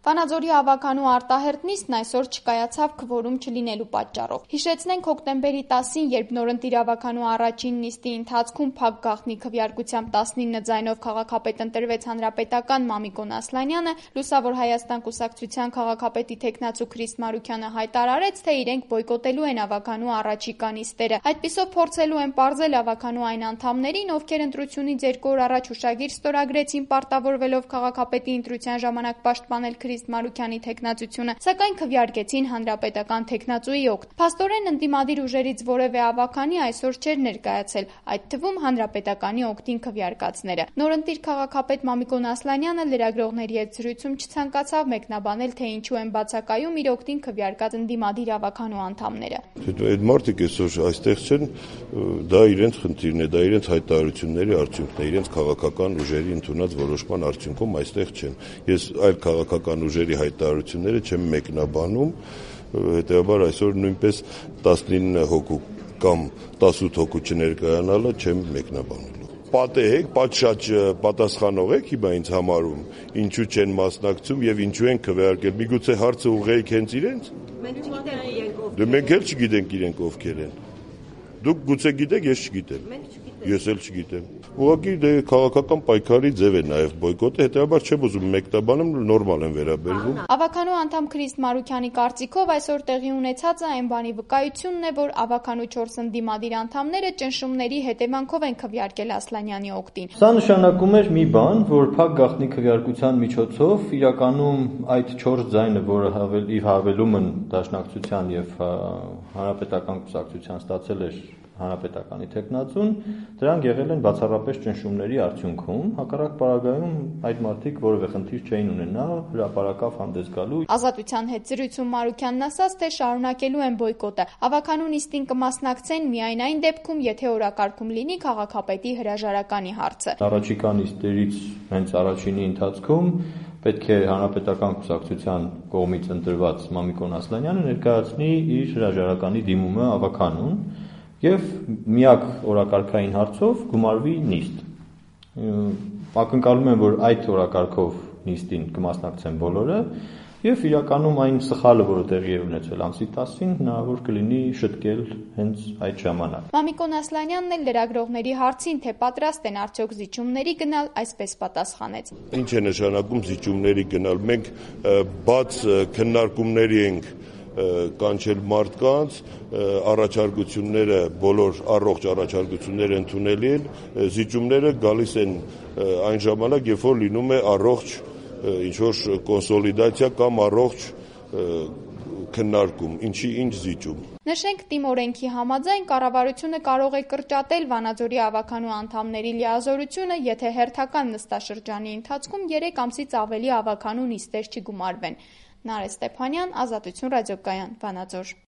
Վանաձորի ավականու արտահերթ նիստն այսօր չկայացավ քվորում չլինելու պատճառով։ Հիշեցնենք հոկտեմբերի 10-ին, երբ նորընտիր ավականու առաջին նիստի ընթացքում փակ գաղտնի քվեարկությամբ 19 ձայնով քաղաքապետ ընտրվեց հանրապետական Մամիկոն Ասլանյանը, Լուսավոր Հայաստան կուսակցության քաղաքապետի թեկնածու Քրիստ Մարուքյանը հայտարարեց, թե իրենք բոյկոտելու են ավականու առաջիկա նիստերը։ Այդպիսով փորձելու են պարզել ավականու այն անդամներին, ովքեր ընտրությունից 2 օր առաջ հուշագիր ստորագրեցին, պարտավորվելով քաղաքապետի ընտրության ժամանակ պաշտպանել Քրիստ Մարուքյանի թեկնածությունը, սակայն քվեարկեցին հանրապետական թեկնածուի օգտ։ Փաստորեն ընդդիմադիր ուժերից որևէ ավականի այսօր չէր ներկայացել, այդ թվում հանրապետականի օգտին քվեարկածները։ Նորընտիր քաղաքապետ Մամիկոն Ասլանյանը լրագրողների հետ զրույցում չցանկացավ մեկնաբանել, թե ինչու են բացակայում իր օգտին քվեարկած ընդդիմադիր ավականու անդամները։ Այդ մարդիկ այսօր այստեղ չեն, դա իրենց խնդիրն է, դա իրենց հայտարարությունների արդյունքն է, իրենց քաղաքական ուժերի ընդունած որոշման արդյունքում այստեղ չեն։ Ես այլ քաղաքական ուժերի հայտարարությունները չեմ մեկնաբանում, հետեւաբար այսօր նույնպես 19 հոգու կամ 18 հոգու չներկայանալը չեմ մեկնաբանելու։ Պատահեք, պատշաճ պատասխանող եք հիմա ինձ համարում, ինչու չեն մասնակցում եւ ինչու են քվեարկել։ Միգուցե հարցը ուղղեիք հենց իրենց։ Մենք էլ չգիտենք իրենք ովքեր են։ Դուք գուցե գիտեք, ես չգիտեմ։ Ես էլ չգիտեմ։ Ուղղակի քաղաքական պայքարի ձև է նաև բոյկոտը, հետեւաբար չեմ ուզում մեկնաբանել, նորմալ են վերաբերվում։ Ավականու անդամ Քրիստ Մարուքյանի կարծիքով այսօր տեղի ունեցածը այն բանի վկայությունն է, որ ավականու 4 ընդդիմադիր անդամները ճնշումների հետևանքով են քվեարկել Ասլանյանի օգտին։ Սա նշանակում էր մի բան, որ փակ գաղտնի քվեարկության միջոցով իրականում այդ 4 ձայնը, որը հավելումն դաշնակցության եւ հանրապետական կուսակցության ստացել էր հանրապետականի թեկնածուն, դրանք եղել են բացառապես ճնշումների արդյունքում, հակառակ պարագայում այդ մարդիկ որևէ խնդիր չէին ունենա հրապարակավ հանդես գալու։ Ազատության հետ զրույցում Մարուքյանն ասաց, թե շարունակելու են բոյկոտը։ Ավականու նիստին կմասնակցեն միայն այն դեպքում, եթե օրակարգում լինի քաղաքապետի հրաժարականի հարցը։ Առաջիկա նիստերից հենց առաջինի ընթացքում պետք է հանրապետական կուսակցության կողմից ընտրված Մամիկոն Ասլանյանը ներկայացնի իր հրաժարականի դիմումը ավականուն եւ միակ օրակարգային հարցով գումարվի նիստ։ Ակնկալում եմ, որ այդ օրակարգով նիստին կմասնակցեն բոլորը եւ իրականում այն սխալը, որը տեղի է ունեցել ամսի 10-ին, հնարավոր կլինի շտկել հենց այդ ժամանակ։ Մամիկոն Ասլանյանն էլ լրագրողների հարցին, թե պատրաստ են արդյոք զիջումների գնալ, այսպես պատասխանեց։ Ինչ է նշանակում զիջումների գնալ։ Մենք բաց քննարկումների ենք կանչել մարդկանց, առաջարկությունները, բոլոր առողջ առաջարկությունները ընդունելի են, զիջումները գալիս են այն ժամանակ, երբ որ լինում է առողջ ինչ-որ կոնսոլիդացիա կամ առողջ քննարկում, ինչ զիջում։ Նշենք, ՏԻՄ օրենքի համաձայն կառավարությունը կարող է կրճատել Վանաձորի ավականու անդամների լիազորությունը, եթե հերթական նստաշրջանի ընթացքում 3 ամսից ավելի ավականու նիստեր չգումարվեն։ Նարէ Ստեփանյան, Ազատություն ռադիոկայան, Վանաձոր։